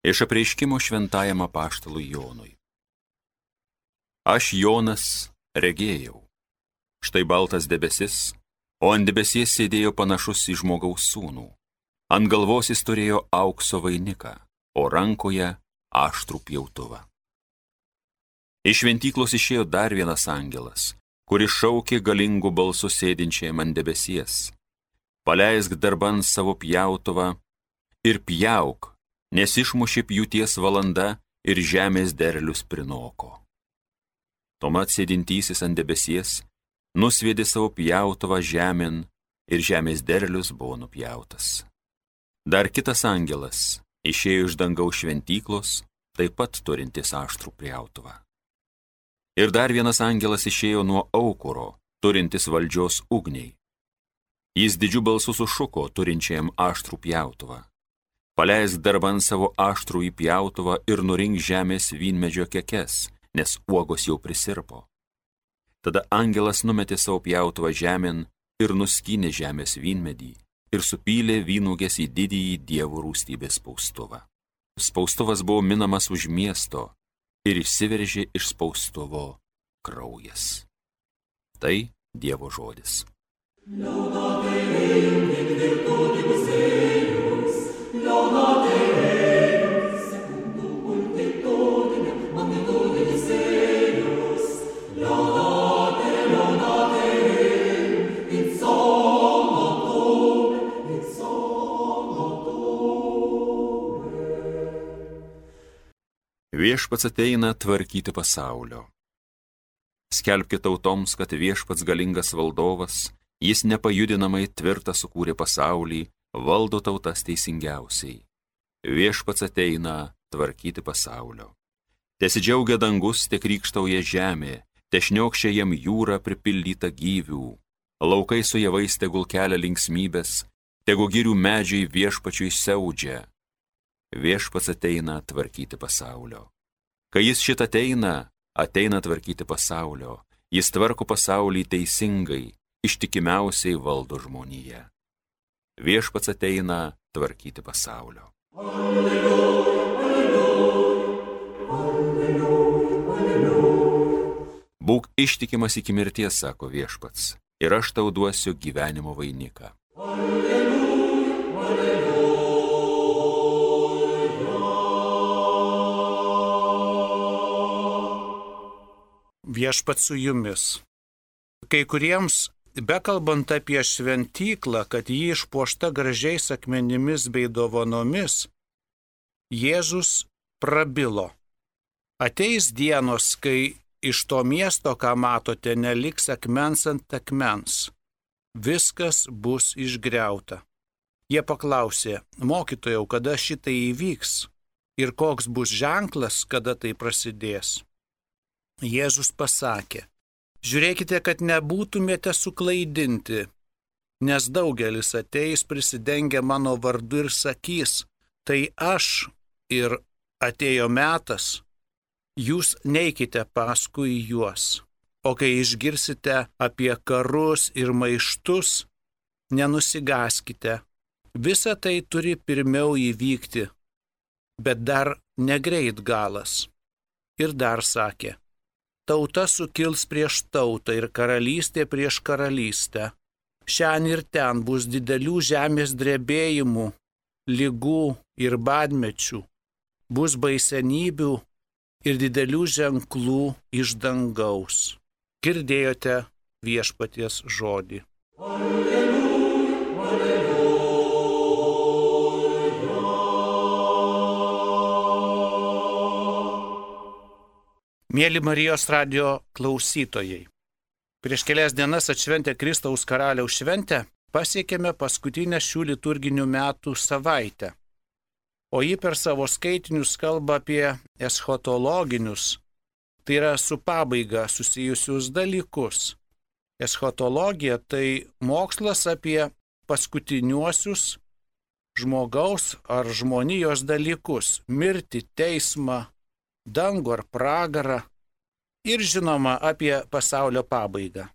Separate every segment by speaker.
Speaker 1: Iš apreiškimo šventajam apaštalui Jonui. Aš Jonas regėjau. Štai baltas debesis, o ant debesies sėdėjo panašus į žmogaus sūnų. Ant galvos jis turėjo aukso vainiką, o rankoje aštrų pjautuvą. Iš šventyklos išėjo dar vienas angelas, kuris šaukė galingų balsų sėdinčiam ant debesies. Paleisk darban savo pjautuvą ir pjauk, nes išmušė pjūties valanda ir žemės derlius prinoko. Tuomet sėdintysis ant debesies nusviedė savo pjautuvą žemėn ir žemės derlius buvo nupjautas. Dar kitas angelas išėjo iš dangaus šventyklos, taip pat turintis aštrų pjautuvą. Ir dar vienas angelas išėjo nuo aukuro, turintis valdžios ugniai. Jis didžiu balsu sušuko turinčiam aštrų pjautuvą. Paleisk darban savo aštrų į pjautuvą ir nurink žemės vynmedžio kekes, nes uogos jau prisirpo. Tada angelas numetė savo pjautuvą žemėn ir nuskynė žemės vynmedį ir supylė vynuogės į didįjį Dievo rūstybės spaustuvą. Spaustuvas buvo minamas už miesto ir išsiveržė iš spaustuvo kraujas. Tai Dievo žodis. Viešpats ateina tvarkyti pasaulio. Skelbkite tautoms, kad viešpats galingas valdovas, jis nepajudinamai tvirtą sukūrė pasaulį, valdo tautas teisingiausiai. Viešpats ateina tvarkyti pasaulio. Tesidžiaugia dangus, te krykštauja žemė, te šniokščia jam jūra pripildyta gyvių. Laukai su javais tegul kelia linksmybės, tegu girių medžiai viešpačiui siaudžia. Viešpats ateina tvarkyti pasaulio. Kai jis šit ateina tvarkyti pasaulio, jis tvarko pasaulį teisingai, ištikimiausiai valdo žmoniją. Viešpats ateina tvarkyti pasaulio. Alleluja, alleluja, alleluja, alleluja. Būk ištikimas iki mirties, sako viešpats, ir aš tau duosiu gyvenimo vainiką. Alleluja, alleluja.
Speaker 2: Viešpats su jumis. Kai kuriems, bekalbant apie šventyklą, kad ji išpuošta gražiais akmenimis bei dovanomis, Jėzus prabilo. Ateis dienos, kai iš to miesto, ką matote, neliks akmens ant akmens. Viskas bus išgriauta. Jie paklausė, mokytojau, kada šitai įvyks ir koks bus ženklas, kada tai prasidės. Jėzus pasakė, žiūrėkite, kad nebūtumėte suklaidinti, nes daugelis ateis prisidengę mano vardu ir sakys, tai aš ir atėjo metas, jūs neikite paskui juos. O kai išgirsite apie karus ir maištus, nenusigaskite. Visa tai turi pirmiau įvykti, bet dar negreit galas. Ir dar sakė, tauta sukils prieš tautą ir karalystė prieš karalystę. Šian ir ten bus didelių žemės drebėjimų, ligų ir badmečių. Bus baisenybių ir didelių ženklų iš dangaus. Girdėjote viešpaties žodį. Alleluja, alleluja. Mėly Marijos radijo klausytojai, prieš kelias dienas atšventę Kristaus karaliaus šventę pasiekėme paskutinę šių liturginių metų savaitę, o ji per savo skaitinius kalba apie eschatologinius, tai yra su pabaiga susijusius dalykus. Eschatologija tai mokslas apie paskutiniuosius žmogaus ar žmonijos dalykus, mirtį, teismą, dangų ar pragarą ir žinoma apie pasaulio pabaigą.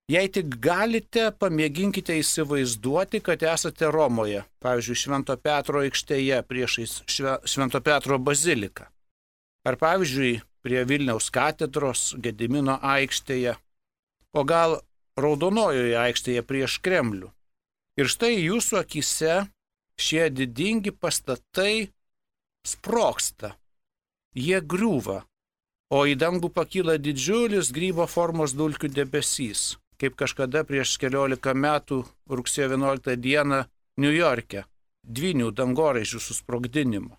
Speaker 2: Jei tik galite, pamėginkite įsivaizduoti, kad esate Romoje, pavyzdžiui, Švento Petro aikštėje priešais Švento Petro baziliką. Ar pavyzdžiui, prie Vilniaus katedros Gedimino aikštėje, o gal Raudonojoje aikštėje prieš Kremlių. Ir štai jūsų akise šie didingi pastatai sprogsta, jie griūva, o į dangų pakyla didžiulis grybo formos dulkių debesys, kaip kažkada prieš 14 metų rugsėjo 11 dieną Niujorke, dvynių dangoraižių susprogdinimo.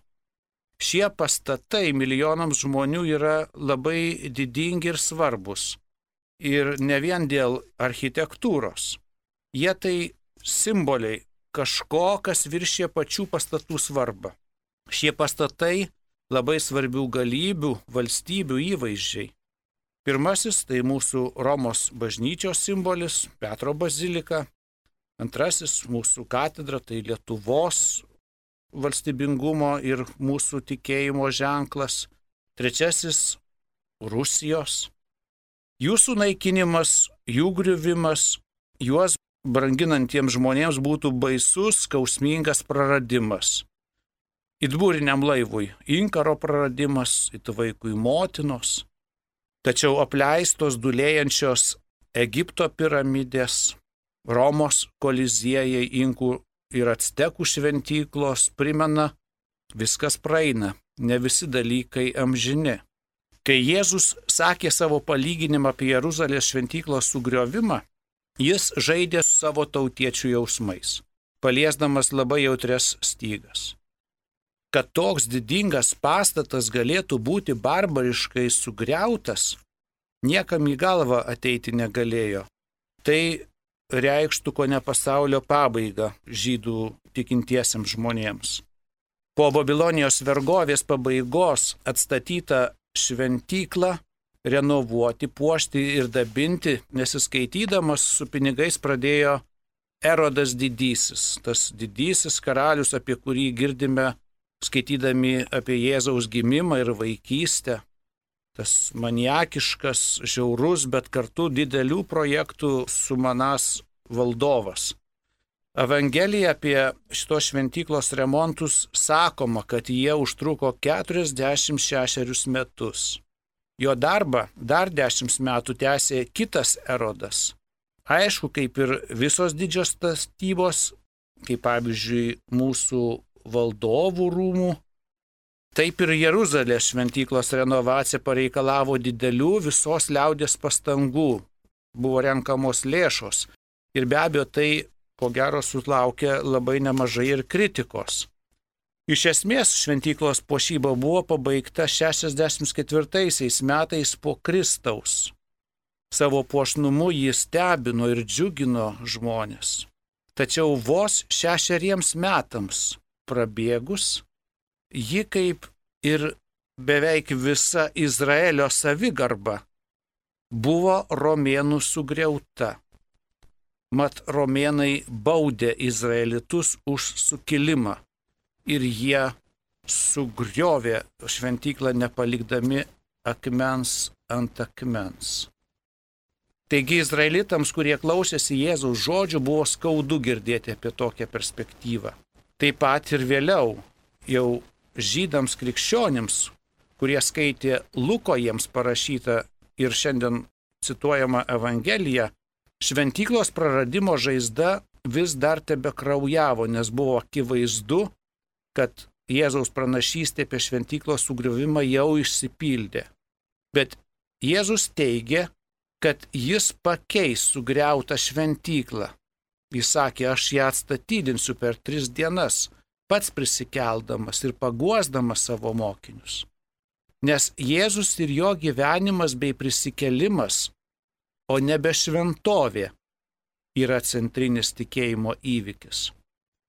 Speaker 2: Šie pastatai milijonams žmonių yra labai didingi ir svarbus. Ir ne vien dėl architektūros. Jie tai simboliai kažko, kas viršė pačių pastatų svarbą. Šie pastatai labai svarbių galybių, valstybių įvaizdžiai. Pirmasis tai mūsų Romos bažnyčios simbolis, Petro bazilika. Antrasis mūsų katedra, tai Lietuvos valstybingumo ir mūsų tikėjimo ženklas. Trečiasis Rusijos. Jūsų naikinimas, jų griuvimas, juos branginantiems žmonėms būtų baisus, skausmingas praradimas. It būriniam laivui inkaro praradimas, it vaikui motinos. Tačiau apleistos dulėjančios Egipto piramidės, Romos koliziejai, inkų ir actekų šventyklos primena, viskas praeina, ne visi dalykai amžini. Kai Jėzus sakė savo palyginimą apie Jeruzalės šventyklos sugriovimą, jis žaidė su savo tautiečių jausmais, paliesdamas labai jautrias stygas. Kad toks didingas pastatas galėtų būti barbariškai sugriautas, niekam į galvą ateiti negalėjo. Tai reikštų kone pasaulio pabaigą žydų tikintiesiems žmonėms. Po Babilonijos vergovės pabaigos atstatyta šventyklą renovuoti, puošti ir dabinti, nesiskaitydamas su pinigais pradėjo Erodas didysis, tas didysis karalius, apie kurį girdime skaitydami apie Jėzaus gimimą ir vaikystę. Tas maniakiškas, žiaurus, bet kartu didelių projektų sumanąs valdovas. Evangelija apie šitos šventyklos remontus sakoma, kad jie užtruko 46 metus. Jo darbą dar 10 metų tęsė kitas Erodas. Aišku, kaip ir visos didžios statybos, kaip pavyzdžiui mūsų valdovų rūmų, taip ir Jeruzalės šventyklos renovacija pareikalavo didelių visos liaudės pastangų. Buvo renkamos lėšos ir be abejo tai ko gero sulaukė labai nemažai ir kritikos. Iš esmės šventyklos puošyba buvo pabaigta 64 metais po Kristaus. Savo puošnumu jis stebino ir džiugino žmonės. Tačiau vos 6 metams prabėgus, ji kaip ir beveik visa Izraelio savigarba buvo romėnų sugriauta. Mat romėnai baudė izraelitus už sukilimą ir jie sugriovė šventyklą nepalikdami akmens ant akmens. Taigi izraelitams, kurie klausėsi Jėzaus žodžių, buvo skaudu girdėti apie tokią perspektyvą. Taip pat ir vėliau, jau žydams krikščionims, kurie skaitė Luko jiems parašytą ir šiandien cituojamą Evangeliją, šventyklos praradimo žaizda vis dar tebekraujavo, nes buvo akivaizdu, kad Jėzaus pranašystė apie šventyklos sugriovimą jau išsipildė. Bet Jėzus teigė, kad jis pakeis sugriautą šventyklą. Jis sakė, aš ją atstatydinsiu per 3 dienas, pats prisikeldamas ir paguosdamas savo mokinius. Nes Jėzus ir jo gyvenimas bei prisikelimas, o nebe šventovė, yra centrinis tikėjimo įvykis.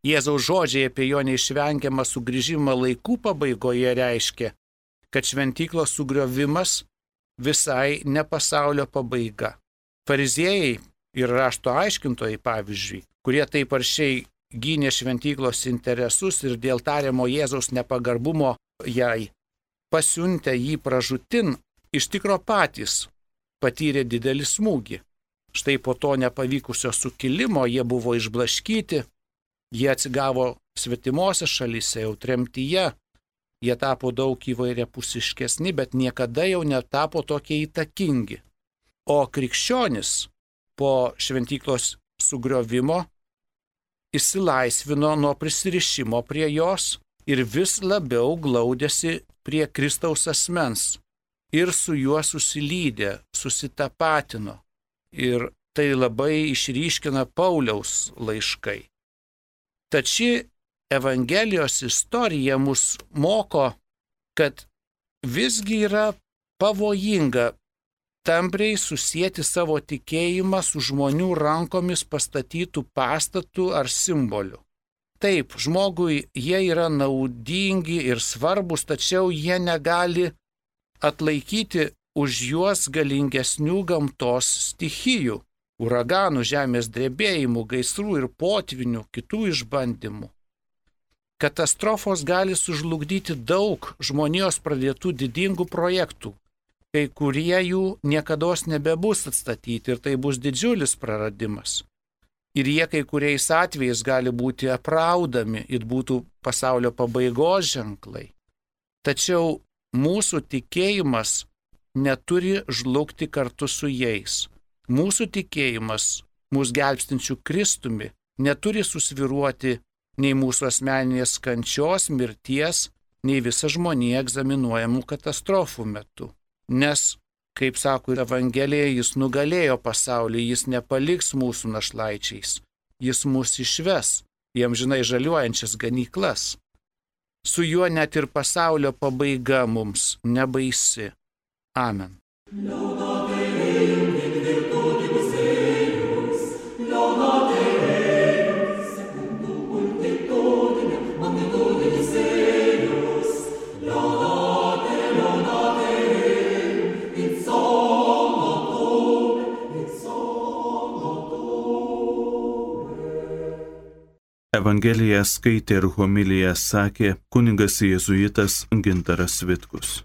Speaker 2: Jėzaus žodžiai apie jo neišvengiamą sugrįžimą laikų pabaigoje reiškia, kad šventyklos sugriovimas visai ne pasaulio pabaiga. Fariziejai ir rašto aiškintojai, pavyzdžiui, kurie taip aršiai gynė šventyklos interesus ir dėl tariamo Jėzaus nepagarbumo jai pasiuntę jį pražūtin, iš tikro patys patyrė didelį smūgį. Štai po to nepavykusio sukilimo jie buvo išblaškyti, jie atsigavo svetimose šalyse, jau tremtyje, jie tapo daug įvairiapusiškesni, bet niekada jau netapo tokie įtakingi. O krikščionis po šventyklos sugriovimo išsilaisvino nuo prisirišimo prie jos ir vis labiau glaudėsi prie Kristaus asmens ir su juo susilydė, susitapatino. Ir tai labai išryškina Pauliaus laiškai. Tad ši Evangelijos istorija mus moko, kad visgi yra pavojinga tampriai susijęti savo tikėjimą su žmonių rankomis pastatytų pastatų ar simbolių. Taip, žmogui jie yra naudingi ir svarbus, tačiau jie negali atlaikyti už juos galingesnių gamtos stichijų, uraganų, žemės drebėjimų, gaisrų ir potvinių, kitų išbandymų. Katastrofos gali sužlugdyti daug žmonijos pradėtų didingų projektų, kai kurie jų niekados nebebus atstatyti ir tai bus didžiulis praradimas. Ir jie kai kuriais atvejais gali būti apraudami ir būtų pasaulio pabaigos ženklai. Tačiau mūsų tikėjimas neturi žlugti kartu su jais. Mūsų tikėjimas, mūsų gelbstinčių Kristumi, neturi susviruoti nei mūsų asmeninės kančios, mirties, nei visa žmonija egzaminuojamų katastrofų metu. Nes, kaip sako Evangelija, jis nugalėjo pasaulį, jis nepaliks mūsų našlaičiais, jis mus išves į amžinai žaliuojančias ganyklas. Su juo net ir pasaulio pabaiga mums nebaisi. Amen.
Speaker 3: Evangeliją skaitė ir homiliją sakė kunigas jėzuitas Gintaras Vitkus.